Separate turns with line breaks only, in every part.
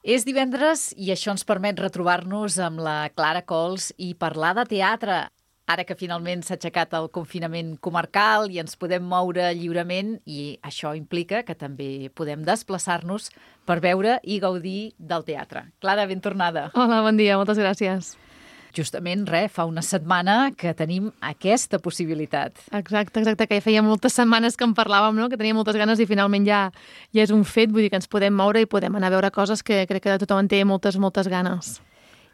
És divendres i això ens permet retrobar-nos amb la Clara Cols i parlar de teatre. Ara que finalment s'ha aixecat el confinament comarcal i ens podem moure lliurement, i això implica que també podem desplaçar-nos per veure i gaudir del teatre. Clara, ben tornada.
Hola, bon dia, moltes gràcies.
Justament, fa una setmana que tenim aquesta possibilitat.
Exacte, que ja feia moltes setmanes que en parlàvem, no? Que teníem moltes ganes i finalment ja és un fet, vull dir que ens podem moure i podem anar a veure coses que crec que tothom en té moltes ganes.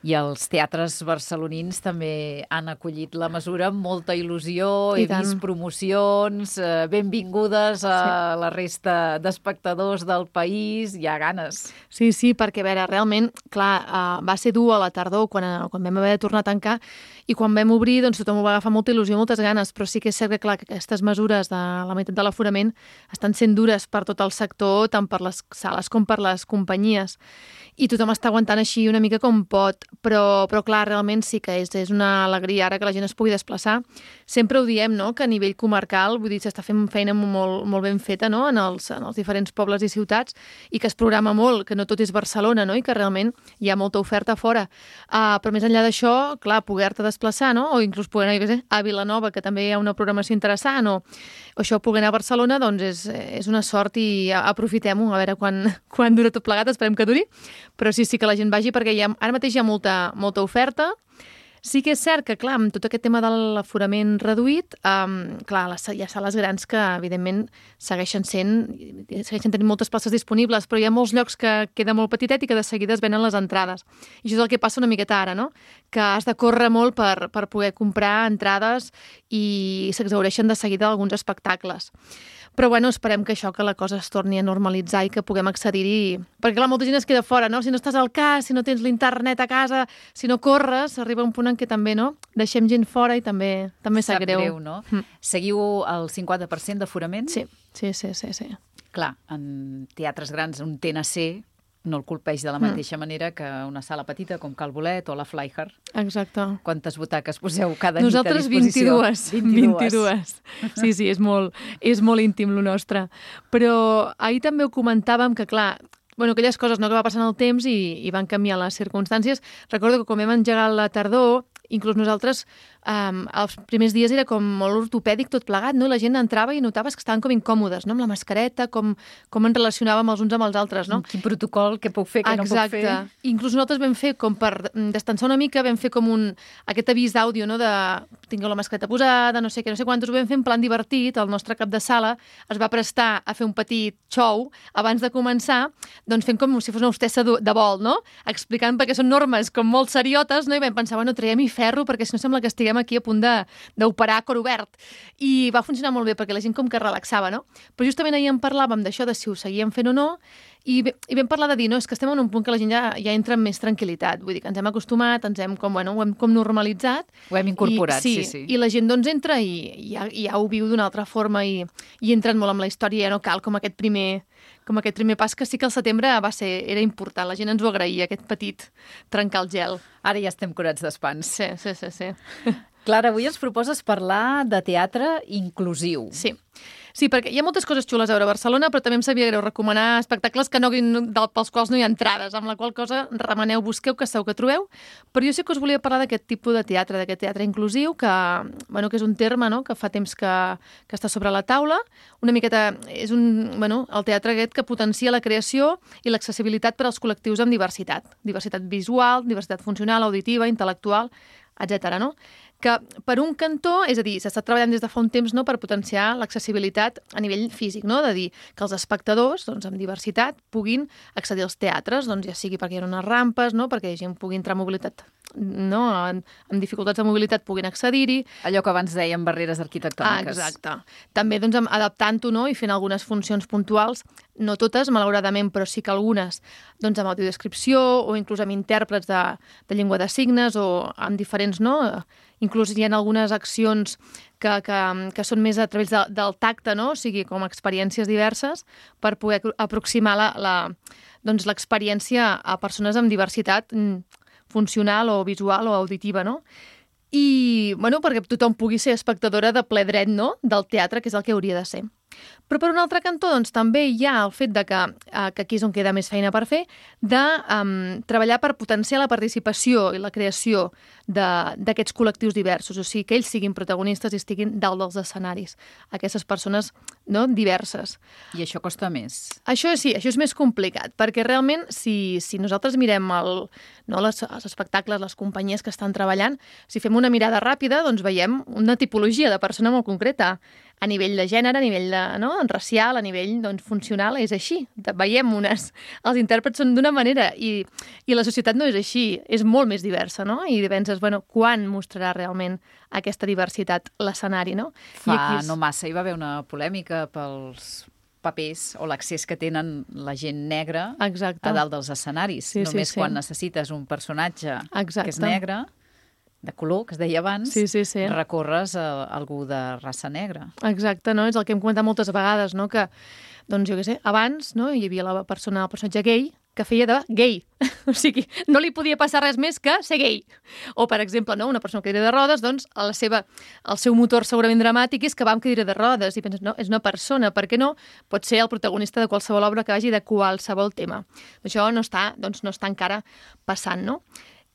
I els teatres barcelonins també han acollit la mesura amb molta il·lusió. He vist promocions, benvingudes a la resta d'espectadors del país, hi ha ganes.
Sí, perquè a veure, realment, clar, va ser dur a la tardor quan vam haver de tornar a tancar i quan vam obrir doncs tothom ho va agafar molta il·lusió, moltes ganes, però sí que és cert que, clar, que aquestes mesures de la meitat de l'aforament estan sent dures per tot el sector, tant per les sales com per les companyies. I tothom està aguantant així una mica com pot, però clar, realment sí que és una alegria ara que la gent es pugui desplaçar. Sempre ho diem, no?, que a nivell comarcal, vull dir, s'està fent feina molt ben feta, no?, en els diferents pobles i ciutats, i que es programa molt, que no tot és Barcelona, no?, i que realment hi ha molta oferta a fora. Però més enllà d'això, clar, poder-te desplaçar, no?, o inclús poder anar a Vilanova, que també hi ha una programació interessant, o això, poder anar a Barcelona, doncs és una sort i aprofitem-ho, a veure quan dura tot plegat, esperem que duri. Però sí que la gent vagi perquè ara mateix hi ha molta oferta. Sí que és cert que, clar, amb tot aquest tema de l'aforament reduït, clar, hi ha sales grans que, evidentment, segueixen tenint moltes places disponibles, però hi ha molts llocs que queda molt petitet i que de seguida es venen les entrades. I això és el que passa una miqueta ara, no?, que has de córrer molt per poder comprar entrades i s'exhaureixen de seguida alguns espectacles. Però, bueno, esperem que la cosa es torni a normalitzar i que puguem accedir-hi. Perquè, clar, molta gent es queda fora, no? Si no estàs al cas, si no tens l'internet a casa, si no corres, arriba un punt en què també, no?, deixem gent fora i també sap greu.
Sap greu, no? Seguiu el 50% d'aforament?
Sí.
Clar, en teatres grans, un TNC no el colpeix de la mateixa manera que una sala petita com Cal Bolet o la Flyhard.
Exacte.
Quantes butaques poseu cada nit a
Nosaltres
disposició?
22. Sí, és molt íntim el nostre. Però ahir també ho comentàvem que, clar, aquelles coses, no?, que va passant el temps i van canviar les circumstàncies. Recordo que quan vam engegar la tardor, inclús nosaltres, els primers dies era com molt ortopèdic tot plegat, no? I la gent entrava i notaves que estaven com incòmodes, no?, amb la mascareta, com ens relacionàvem els uns amb els altres, no?
Quin protocol, què puc fer, què no puc fer.
Exacte. Inclús nosaltres vam fer, com per destensar una mica, vam fer com aquest avís d'àudio, no?, de tingueu la mascareta posada, no sé què, no sé quantos, ho vam fer en plan divertit. El nostre cap de sala es va prestar a fer un petit show abans de començar, doncs fent com si fos una hostessa de vol, no?, explicant perquè són normes com molt seriotes, no?, i vam pensar, traiem-hi ferro perquè si no sembla que estiguem aquí a punt d'operar a cor obert. I va funcionar molt bé perquè la gent com que relaxava, no? Però justament ahir en parlàvem d'això, de si ho seguíem fent o no, i vam parlar de dir, no, és que estem en un punt que la gent ja entra amb més tranquil·litat. Vull dir que ens hem acostumat, ho hem com normalitzat.
Ho hem incorporat, sí.
I la gent doncs entra i ja ho viu d'una altra forma i entren molt amb la història, ja no cal com aquest primer pas, que sí que al setembre era important. La gent ens ho agraïa, aquest petit trencar el gel.
Ara ja estem curats d'espans.
Sí.
Clara, avui ens proposes parlar de teatre inclusiu.
Sí, perquè hi ha moltes coses xules a veure a Barcelona, però també em sabia greu recomanar espectacles pels quals no hi ha entrades, amb la qual cosa remeneu, busqueu, que segur que trobeu. Però jo sí que us volia parlar d'aquest tipus de teatre, d'aquest teatre inclusiu, que és un terme, no?, que fa temps que està sobre la taula. Una miqueta és el teatre aquest que potencia la creació i l'accessibilitat per als col·lectius amb diversitat. Diversitat visual, diversitat funcional, auditiva, intel·lectual, etc., no? Que per un cantó, és a dir, s'està treballant des de fa un temps, no?, per potenciar l'accessibilitat a nivell físic, no?, de dir que els espectadors, doncs, amb diversitat puguin accedir als teatres, doncs, ja sigui perquè hi ha unes rampes, no?, perquè la gent pugui entrar en mobilitat, no?, amb dificultats de mobilitat puguin accedir-hi.
Allò que abans dèiem barreres arquitectòniques.
Exacte. També, doncs, adaptant-ho, no?, i fent algunes funcions puntuals, no totes, malauradament, però sí que algunes, doncs, amb audiodescripció o inclús amb intèrprets de llengua de signes o amb diferents, no?, inclús hi ha algunes accions que són més a través del tacte, no?, o sigui, com experiències diverses, per poder aproximar l'experiència a persones amb diversitat funcional o visual o auditiva, no? I, perquè tothom pugui ser espectadora de ple dret, no?, del teatre, que és el que hauria de ser. Però per un altre cantó, doncs, també hi ha el fet de que aquí és on queda més feina per fer, de treballar per potenciar la participació i la creació d'aquests col·lectius diversos, o sigui, que ells siguin protagonistes i estiguin dalt dels escenaris, aquestes persones, no, diverses.
I això costa més.
Això sí, això és més complicat, perquè realment si nosaltres mirem els espectacles, les companyies que estan treballant, si fem una mirada ràpida, doncs veiem una tipologia de persona molt concreta, a nivell de gènere, a nivell racial, a nivell funcional, és així. Veiem els intèrprets són d'una manera i la societat no és així, és molt més diversa, no? I penses, quan mostrarà realment aquesta diversitat l'escenari, no?
No massa hi va haver una polèmica pels papers o l'accés que tenen la gent negra a dalt dels escenaris. Només quan necessites un personatge que és negre, de color, que es deia abans, recorres a algú de raça negra.
Exacte, no? És el que hem comentat moltes vegades, no? Que, doncs jo què sé, abans hi havia el personatge gay que feia de gay. O sigui, no li podia passar res més que ser gay. O, per exemple, una persona amb cadira de rodes, doncs el seu motor segurament dramàtic és que va amb cadira de rodes. I penses, no, és una persona, per què no? Pot ser el protagonista de qualsevol obra que vagi de qualsevol tema. Això no està encara passant, no?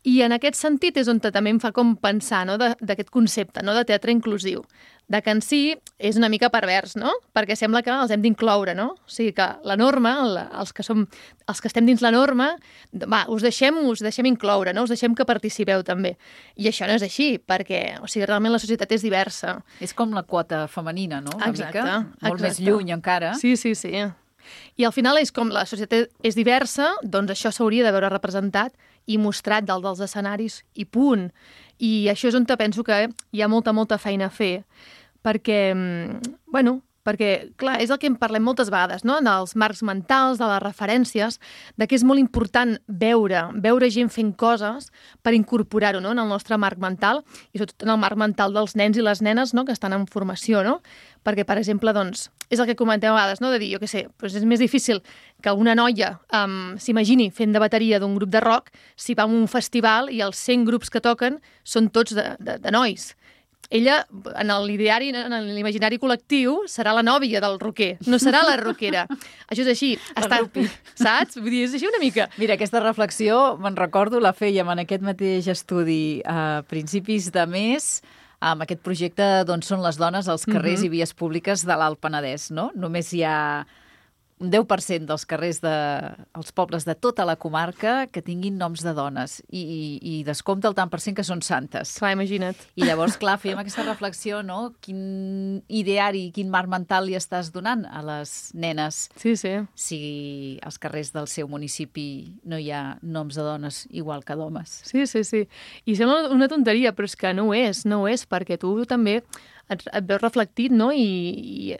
I en aquest sentit és on també em fa com pensar d'aquest concepte de teatre inclusiu, de que en si és una mica pervers, no? Perquè sembla que els hem d'incloure, no? O sigui que la norma, els que estem dins la norma, us deixem incloure, no? Us deixem que participeu també. I això no és així, perquè realment la societat és diversa.
És com la quota femenina, no?
Exacte.
Molt més lluny encara.
Sí. I al final és com la societat és diversa, doncs això s'hauria de veure representat i mostrat dalt dels escenaris i punt. I això és on penso que hi ha molta feina a fer. Perquè, clar, és el que en parlem moltes vegades, no? Dels marcs mentals, de les referències, de que és molt important veure gent fent coses per incorporar-ho, no? En el nostre marc mental i sobretot en el marc mental dels nens i les nenes, no? Que estan en formació, no? Perquè, per exemple, doncs, és el que comentem a vegades, no? De dir, jo què sé, doncs és més difícil que una noia s'imagini fent de bateria d'un grup de rock si va a un festival i els 100 grups que toquen són tots de nois. Ella, en l'ideari, en l'imaginari col·lectiu, serà la nòvia del rocker, no serà la rockera. Això és així. Saps? Vull dir, és així una mica.
Mira, aquesta reflexió, me'n recordo, la fèiem en aquest mateix estudi a principis de mes, amb aquest projecte d'on són les dones als carrers i vies públiques de l'Alt Penedès, no? Només hi ha un 10% dels carrers dels pobles de tota la comarca que tinguin noms de dones i descompta el tant per cent que són santes.
Clar, imagina't.
I llavors, clar, fèiem aquesta reflexió, no? Quin ideari, quin marc mental li estàs donant a les nenes si als carrers del seu municipi no hi ha noms de dones igual que d'homes.
Sí. I sembla una tonteria, però és que no ho és, perquè tu també et veus reflectit, no? I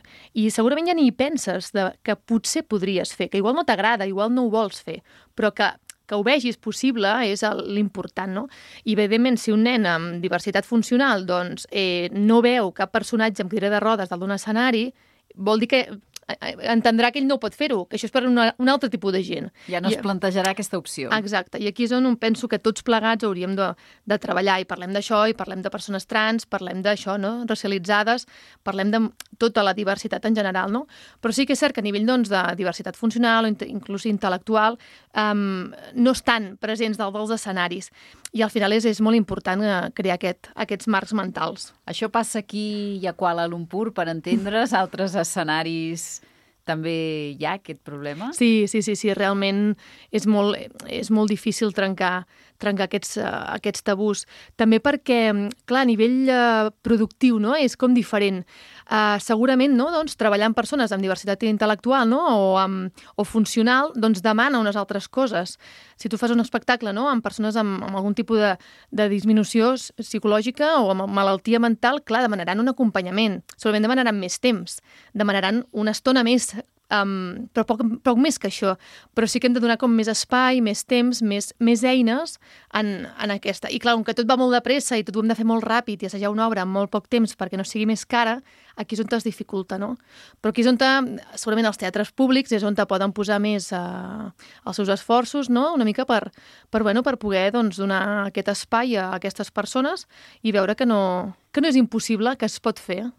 segurament ja ni hi penses que potser podries fer, que igual no t'agrada, igual no ho vols fer, però que ho vegis possible és l'important, no? I evidentment, si un nen amb diversitat funcional doncs, no veu cap personatge amb cadira de rodes dalt d'un escenari, vol dir que entendrà que ell no pot fer-ho, que això és per un altre tipus de gent.
Ja no es plantejarà aquesta opció.
Exacte, i aquí és on penso que tots plegats hauríem de treballar, i parlem d'això, i parlem de persones trans, parlem d'això, no? Racialitzades, parlem de tota la diversitat en general, no? Però sí que és cert que a nivell doncs, de diversitat funcional o inclús intel·lectual no estan presents dalt dels escenaris, i al final és molt important crear aquests marcs mentals.
Això passa aquí i a Kuala Lumpur, per entendre's, altres escenaris també hi ha aquest problema?
Sí, realment és molt difícil trencar aquests tabús. També perquè, clar, a nivell productiu, no? És com diferent. Segurament, no? Doncs, treballar amb persones amb diversitat intel·lectual, no? o funcional, doncs demana unes altres coses. Si tu fas un espectacle, no? Amb persones amb algun tipus de disminució psicològica o amb malaltia mental, clar, demanaran un acompanyament. Segurament demanaran més temps, demanaran una estona més, però poc més que això. Però sí que hem de donar com més espai, més temps, més eines en aquesta. I clar, com que tot va molt de pressa i tot ho hem de fer molt ràpid i assajar una obra en molt poc temps perquè no sigui més cara, aquí és on es dificulta, no? Però aquí és on segurament els teatres públics és on poden posar més els seus esforços, no? Una mica per poder doncs, donar aquest espai a aquestes persones i veure que no és impossible, que es pot fer.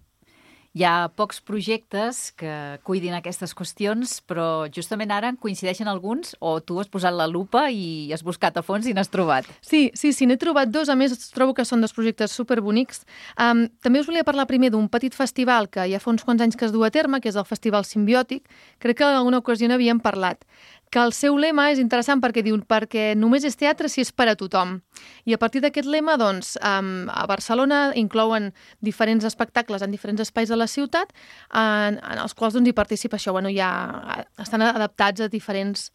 Hi ha pocs projectes que cuidin aquestes qüestions, però justament ara en coincideixen alguns o tu has posat la lupa i has buscat a fons i n'has trobat?
Sí, n'he trobat dos. A més, trobo que són dos projectes superbonics. També us volia parlar primer d'un petit festival que ja fa uns quants anys que es du a terme, que és el Festival Simbiòtic. Crec que en alguna ocasió n'havíem parlat. Que el seu lema és interessant perquè diu perquè només és teatre si és per a tothom. I a partir d'aquest lema, doncs, a Barcelona inclouen diferents espectacles en diferents espais de la ciutat en els quals doncs, hi participa això. Bueno, estan adaptats a diferents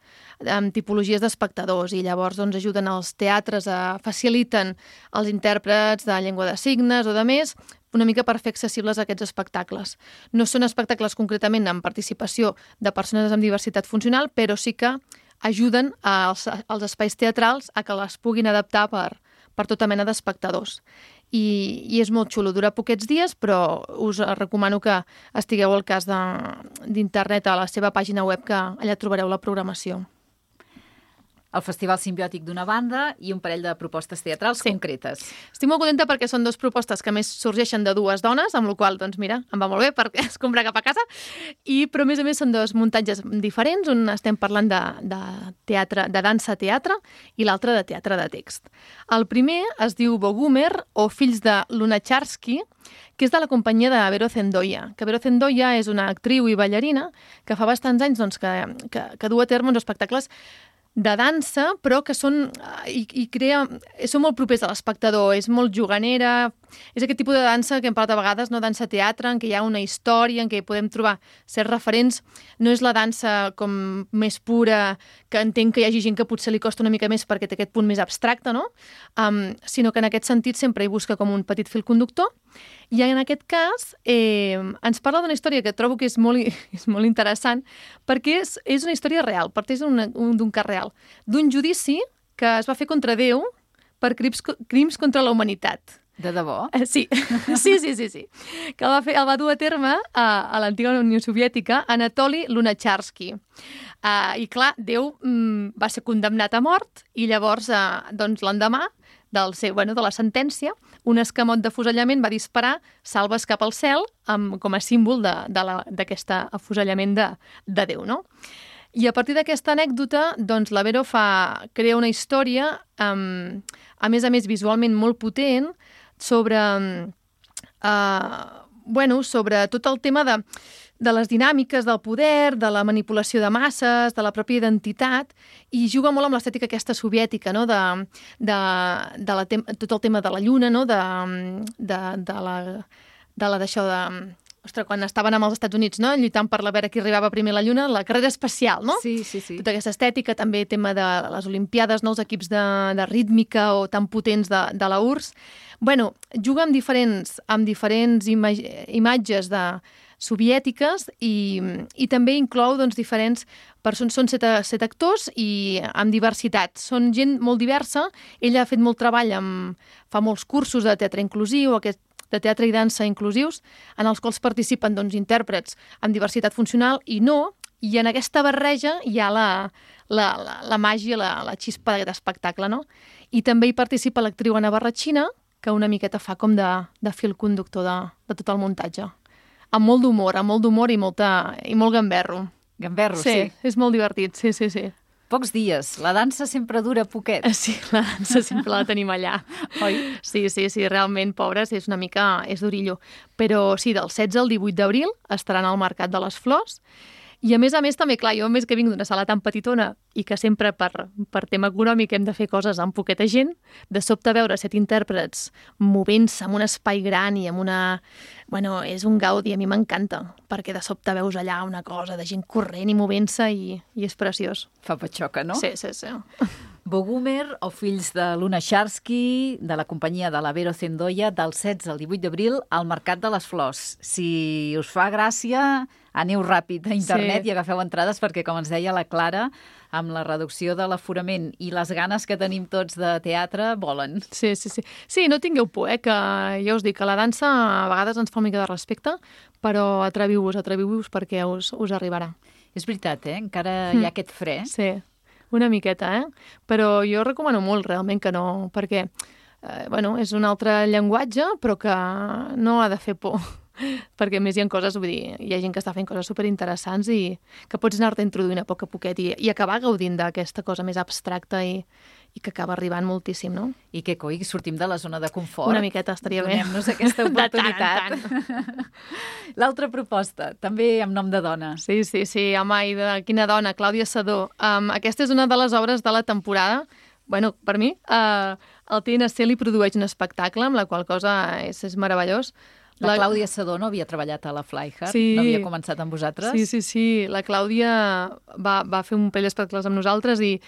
tipologies d'espectadors i llavors doncs, ajuden els teatres, faciliten els intèrprets de llengua de signes o de més, una mica per fer accessibles aquests espectacles. No són espectacles concretament amb participació de persones amb diversitat funcional, però sí que ajuden als espais teatrals a que les puguin adaptar per tota mena d'espectadors. I és molt xulo, dura poquets dies, però us recomano que estigueu al cas d'internet a la seva pàgina web, que allà trobareu la programació.
El Festival Simbiòtic d'una banda i un parell de propostes teatrals concretes.
Estic molt contenta perquè són dues propostes que més sorgeixen de dues dones, amb la qual doncs mira, em va molt bé perquè es compra cap a casa, però a més són dos muntatges diferents, un estem parlant de teatre, de dansa-teatre i l'altre de teatre de text. El primer es diu Bogumer o Fills de Lunacharsky, que és de la companyia de Vero Zendoya, que Vero Zendoya és una actriu i ballarina que fa bastants anys doncs, que du a terme uns espectacles de dansa, però que són molt propers a l'espectador, és molt juganera, és aquest tipus de dansa que hem parlat a vegades, no dansa teatre, en què hi ha una història, en què podem trobar certs referents, no és la dansa com més pura, que entenc que hi hagi gent que potser li costa una mica més perquè té aquest punt més abstracte, no? Sinó que en aquest sentit sempre hi busca com un petit fil conductor, i en aquest cas ens parla d'una història que trobo que és molt interessant, perquè és una història real, parteix d'un cas real, d'un judici que es va fer contra Déu per crims contra la humanitat.
De debò?
Sí. Que el va dur a terme a l'antiga Unió Soviètica Anatoli Lunacharsky. I clar, Déu va ser condemnat a mort i llavors doncs, l'endemà de la sentència, un escamot d'afusellament va disparar salves cap al cel com a símbol d'aquest afusellament de Déu, no? I a partir d'aquesta anècdota, doncs, la Vero crea una història, a més visualment molt potent, sobre tot el tema de les dinàmiques del poder, de la manipulació de masses, de la pròpia identitat, i juga molt amb l'estètica aquesta soviètica, no? Tot el tema de la lluna, no? Ostres, quan estaven amb els Estats Units, no? Lluitant per veure qui arribava primer a la Lluna, la carrera espacial, no?
Sí.
Tota aquesta estètica, també tema de les Olimpiades, no? Els equips de rítmica o tan potents de la URSS. Bueno, juga amb diferents imatges soviètiques i també inclou doncs, diferents persones. Són set actors i amb diversitat. Són gent molt diversa. Ella ha fet molt treball, fa molts cursos de teatre inclusiu, de teatre i dansa inclusius, en els quals participen doncs, intèrprets amb diversitat funcional i no, i en aquesta barreja hi ha la màgia, la xispa d'aquest espectacle, no? I també hi participa l'actriu Anna Barratxina, que una miqueta fa com de fil conductor de tot el muntatge. Amb molt d'humor i molt gamberro.
Gamberro, sí.
És molt divertit, sí.
Pocs dies. La dansa sempre dura poquet.
Sí, la dansa sempre la tenim allà.
Oi?
Sí, realment, pobres, és durillo. Però sí, del 16 al 18 d'abril estaran al Mercat de les Flors. I a més també, clar, jo més que vinc d'una sala tan petitona i que sempre per tema econòmic hem de fer coses amb poqueta gent, de sobte veure 7 intèrprets movent-se en un espai gran i amb una... Bueno, és un gaudi, a mi m'encanta, perquè de sobte veus allà una cosa de gent corrent i movent-se i és preciós.
Fa patxoca, no?
Sí.
Bogumer o Fills de Lunacharsky, de la companyia de la Vero Zendoya, del 16 al 18 d'abril al Mercat de les Flors. Si us fa gràcia, aneu ràpid a internet i agafeu entrades perquè, com ens deia la Clara, amb la reducció de l'aforament i les ganes que tenim tots de teatre, volen. Sí.
Sí, no tingueu por, que ja us dic que la dansa a vegades ens fa una mica de respecte, però atreviu-vos perquè us arribarà.
És veritat, encara hi ha aquest fre.
Sí, una miqueta, però jo recomano molt realment que no, perquè és un altre llenguatge, però que no ha de fer por. perquè a més hi ha coses, vull dir, hi ha gent que està fent coses superinteressants i que pots anar-te introduint a poc a poquet i acabar gaudint d'aquesta cosa més abstracta i que acaba arribant moltíssim, no?
I que, coi, sortim de la zona de confort.
Una miqueta estaria bé.
Donem-nos aquesta oportunitat.
De tant en tant.
L'altra proposta, també amb nom de dona.
Sí, home, i de quina dona, Clàudia Sedó. Aquesta és una de les obres de la temporada. Bueno, per mi, el TNC li produeix un espectacle, amb la qual cosa és meravellós.
La Clàudia Sedó no havia treballat a la Flyhard?
Sí.
No havia començat amb vosaltres?
Sí. La Clàudia va fer un parell d'espectacles amb nosaltres i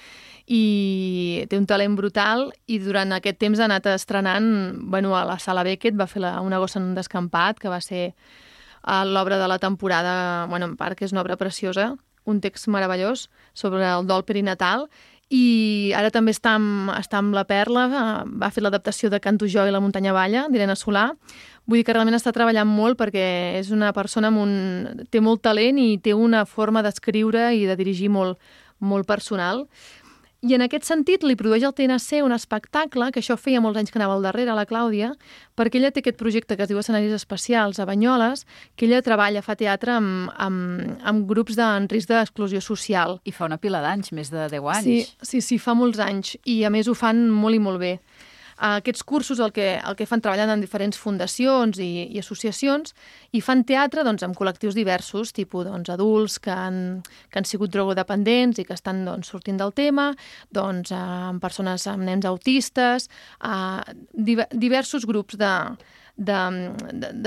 té un talent brutal i durant aquest temps ha anat estrenant, a la Sala Beckett va fer Una gossa en un descampat, que va ser l'obra de la temporada, en part, que és una obra preciosa, un text meravellós sobre el dol perinatal, i ara també està amb la Perla, va fer l'adaptació de Canto jo i la muntanya balla, d'Irene Solà. Vull dir que realment està treballant molt perquè és una persona té molt talent i té una forma d'escriure i de dirigir molt, molt personal. I en aquest sentit li produeix el TNC un espectacle, que això feia molts anys que anava al darrere, la Clàudia, perquè ella té aquest projecte que es diu Escenaris Especials a Banyoles, que ella fa teatre amb grups en risc d'exclusió social.
I fa una pila d'anys, més de 10 anys.
Sí, fa molts anys, i a més ho fan molt i molt bé. Aquests cursos el que fan treballant en diferents fundacions i associacions i fan teatre amb col·lectius diversos, tipus adults que han sigut drogodependents i que estan sortint del tema, amb persones amb nens autistes, diversos grups de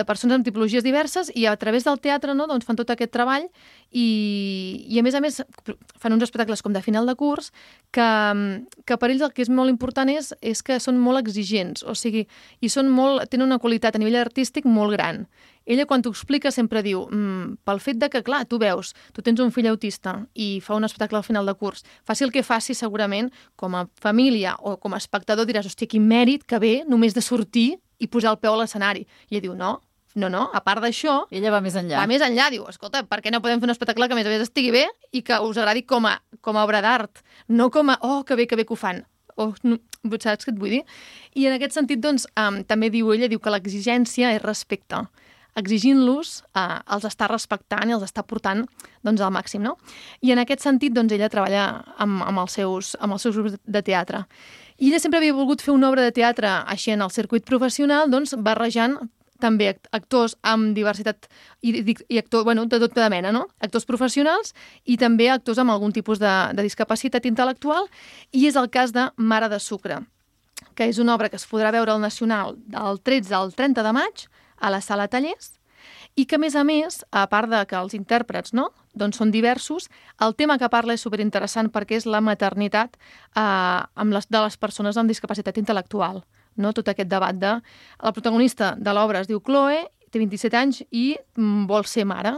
persones amb tipologies diverses i a través del teatre fan tot aquest treball i a més fan uns espectacles com de final de curs que per ells el que és molt important és que són molt exigents, o sigui, i tenen una qualitat a nivell artístic molt gran. Ella, quan t'ho explica, sempre diu pel fet de que, clar, tu tens un fill autista i fa un espectacle al final de curs, faci el que faci, segurament, com a família o com a espectador diràs, hòstia, quin mèrit que ve només de sortir i posar el peu a l'escenari. I ella diu, no, a part d'això...
Ella va més enllà.
Va més enllà, diu, escolta, per què no podem fer un espectacle que a més a més estigui bé i que us agradi com a obra d'art, no com a, que bé que ho fan. Saps què et vull dir? I en aquest sentit, també ella diu que l'exigència és respecte. Exigint-los, els està respectant i els està portant al màxim, no? I en aquest sentit, ella treballa amb els seus grups de teatre. I ella sempre havia volgut fer una obra de teatre així en el circuit professional, barrejant també actors amb diversitat i actors, de tota mena, no? Actors professionals i també actors amb algun tipus de discapacitat intel·lectual, i és el cas de Mare de Sucre, que és una obra que es podrà veure al Nacional del 13 al 30 de maig a la Sala Tallers, i que, a més, a part de que els intèrprets són diversos, el tema que parla és superinteressant perquè és la maternitat de les persones amb discapacitat intel·lectual. Tot aquest debat la protagonista de l'obra es diu Chloe, té 27 anys i vol ser mare.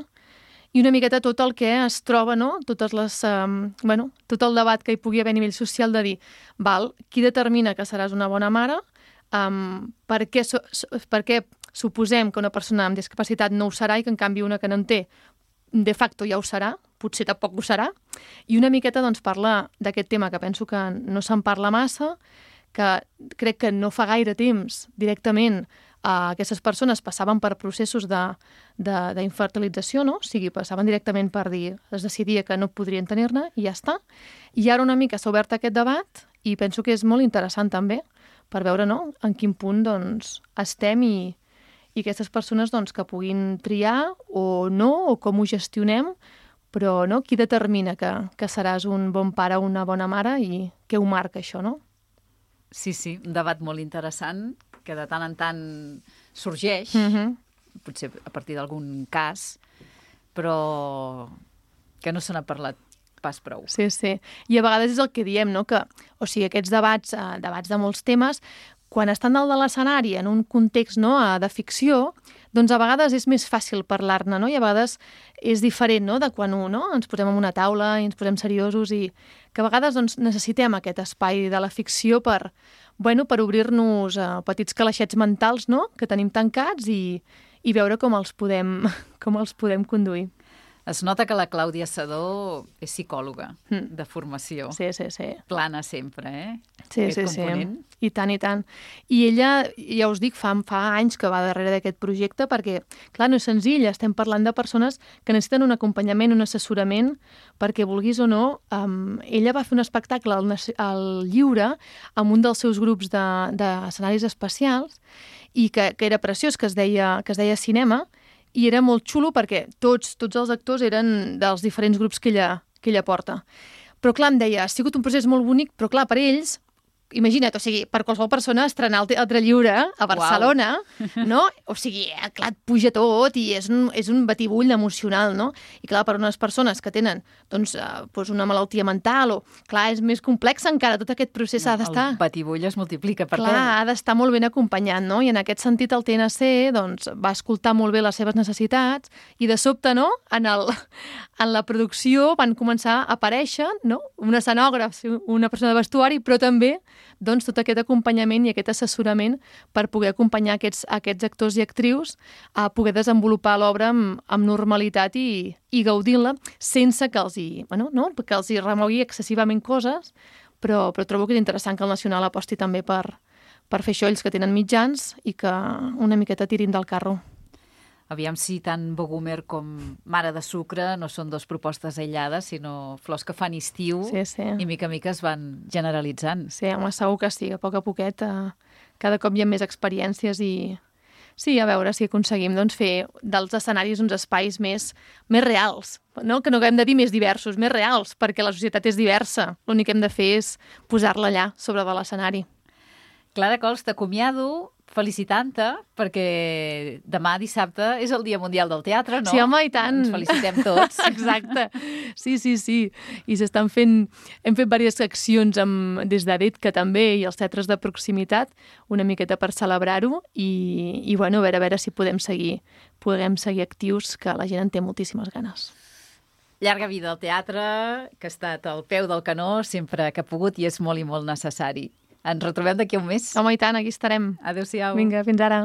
I una miqueta tot el que es troba, tot el debat que hi pugui haver a nivell social de dir, qui determina que seràs una bona mare, per què suposem que una persona amb discapacitat no ho serà i que en canvi una que no en té de facto ja ho serà, potser tampoc ho serà, i una miqueta parla d'aquest tema que penso que no se'n parla massa, que crec que no fa gaire temps directament aquestes persones passaven per processos d'infertilització, no? O sigui, passaven directament per dir, es decidia que no podrien tenir-ne i ja està. I ara una mica s'ha obert aquest debat i penso que és molt interessant també per veure en quin punt estem i aquestes persones que puguin triar o no, o com ho gestionem, però qui determina que seràs un bon pare o una bona mare i què ho marca això, no?
Sí, un debat molt interessant que de tant en tant sorgeix, potser a partir d'algun cas, però que no se n'ha parlat pas prou.
Sí. I a vegades és el que diem, no? Que, o sigui, aquests debats de molts temes, quan estan dalt de l'escenari en un context de ficció, a vegades és més fàcil parlar-ne, no? I a vegades és diferent, de quan ens posem en una taula i ens posem seriosos i que a vegades necessitem aquest espai de la ficció per obrir-nos petits calaixets mentals, que tenim tancats i veure com els podem conduir.
Es nota que la Clàudia Sedó és psicòloga de formació.
Sí.
Plana sempre, aquest component.
I tant, i tant. I ella, ja us dic, fa anys que va darrere d'aquest projecte perquè, clar, no és senzill, estem parlant de persones que necessiten un acompanyament, un assessorament, perquè vulguis o no, ella va fer un espectacle al Lliure amb un dels seus grups d'escenaris especials i que era preciós, que es deia Cinema, i era molt xulo perquè tots els actors eren dels diferents grups que ella porta. Però clar, em deia, ha sigut un procés molt bonic, però clar, per ells, imagina't, o sigui, per qualsevol persona estrenar el Teatre Lliure a Barcelona, no? O sigui, clar, et puja tot i és un batibull emocional, no? I clar, per unes persones que tenen doncs una malaltia mental clar, és més complex encara, tot aquest procés ha d'estar...
El batibull es multiplica per
clar, ha d'estar molt ben acompanyat, no? I en aquest sentit el TNC doncs, va escoltar molt bé les seves necessitats i de sobte, no?, en la producció van començar a aparèixer, no?, un escenògraf, una persona de vestuari, però també doncs, tot aquest acompanyament i aquest assessorament per poder acompanyar aquests actors i actrius a poder desenvolupar l'obra amb normalitat i gaudir-la sense que els hi remogui excessivament coses, però trobo que és interessant que el Nacional aposti també per fer això ells que tenen mitjans i que una miqueta tirin del carro.
Aviam si tant Bogumer com Mare de Sucre no són dues propostes aïllades, sinó flors que fan estiu i mica en mica es van generalitzant.
Sí, home, segur que sí, a poquet cada cop hi ha més experiències i sí, a veure si aconseguim doncs, fer dels escenaris uns espais més reals, no? Que no hem de dir més diversos, més reals, perquè la societat és diversa. L'únic que hem de fer és posar-la allà, sobre de l'escenari.
Clara Cols, t'acomiado felicitant-te, perquè demà dissabte és el Dia Mundial del Teatre, no?
Sí, home, i tant.
Ens felicitem tots.
Exacte. Sí. I hem fet diverses accions des d'ADET, que també, i els teatres de proximitat, una miqueta per celebrar-ho, i bueno, a veure si podem seguir actius, que la gent en té moltíssimes ganes.
Llarga vida al teatre, que ha estat al peu del canó sempre que ha pogut i és molt i molt necessari. Ens retrobem d'aquí a un mes.
Home, i tant, aquí estarem.
Adéu-siau.
Vinga, fins ara.